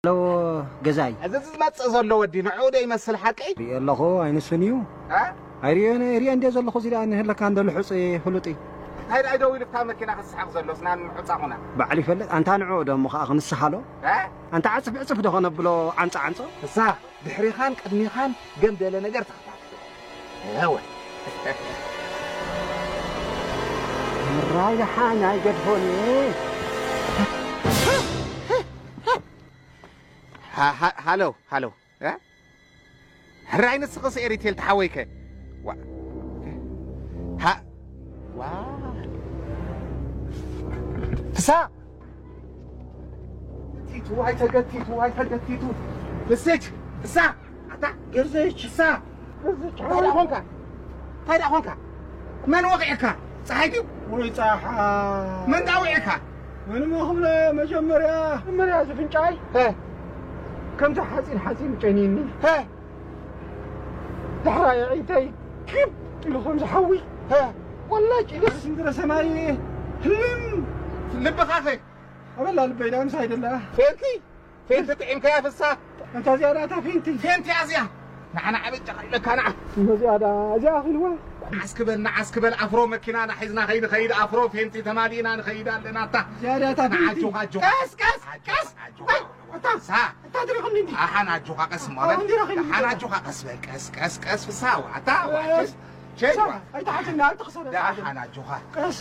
ኣለዎ ገዛይ። እዚ ዝመጽእ ዘሎ ወዲ ንዕኡ ዶ ይመስል ሓቀይ? ሪኦ ኣለኹ ኣይንሱን እዩ። ኣይሪኦ ሪኦ እንደ ዘለኹ እዚ ደኣ ንህለካ እንደ ልሑፅ ፍሉጥ እዩ። እንታይ ደኣ ደው ኢሉ ብታ መኪና ክስሓቕ ዘሎስ ናን ምሑፃኹና? ባዕሉ ይፈልጥ ኣንታ ንዕኡ ዶ እሞ ከዓ ክንስሃሎ? ኣንታ ዓፅፍ ዕፅፍ ዶ ከነብሎ ዓንፃ ዓንፆ? እሳ ድሕሪኻን ቅድሚኻን ገምደለ ነገር ተኸታተሎ። እወ ራይ ደሓን ኣይገድፎን ሃሎ ሃሎ ሕራይ ንስኽስ ኤሪቴል ተሓወይከ ፍሳ ቲቱ ኣይተገቲቱ ኣይተገቲቱ ፍስች ፍሳ ኣታ ገርዘች ፍሳ እንታይ ደኣ ኾንካ እንታይ ደኣ ኾንካ መን ወቒዕካ ፀሓይ ድዩ ወይ ፀሓይ መን ደኣ ወቒዕካ ምንም ክብለ መጀመርያ መጀመርያ ዝፍንጫይ ከምቲ ሓፂን ሓፂን ጨኒኒ ዳሕራይ ኣዒንተይ ክብ ኢሉ ከም ዝሓዊ ወላ ጭልስ ምድረ ሰማይ ህልም ልብኻ ኸ ኣበላ ልበይ ዳ ምሳይ ደላ ፌንቲ ፌንቲ ጥዒምካያ ፍሳ እንታ እዚኣ ዳታ ፌንቲ ፌንቲ እያ እዚኣ ንዓና ዓበጫ ኢለካ ንዓ እዚኣ ዳ እዚኣ ኣኺልዋ ንዓስ ክበል ንዓስ ክበል ኣፍሮ መኪናና ሒዝና ከይንኸይድ ኣፍሮ ፌንቲ ተማሊእና ንኸይድ ኣለና እታ እዚኣ ዳታ ፌንቲ ንዓጆኻ ኣጆኻ ቀስ ቀስ ቀስ ኣታ ሓን ኣጆኻ ቀስ እሞ በል ሓን ኣጆኻ ቀስ በል ቀስ ቀስ ቀስ ፍሳ ዋታ ሸይ ኣይተሓትና ኣይተኸሰደ ሓን ኣጆኻ ቀስ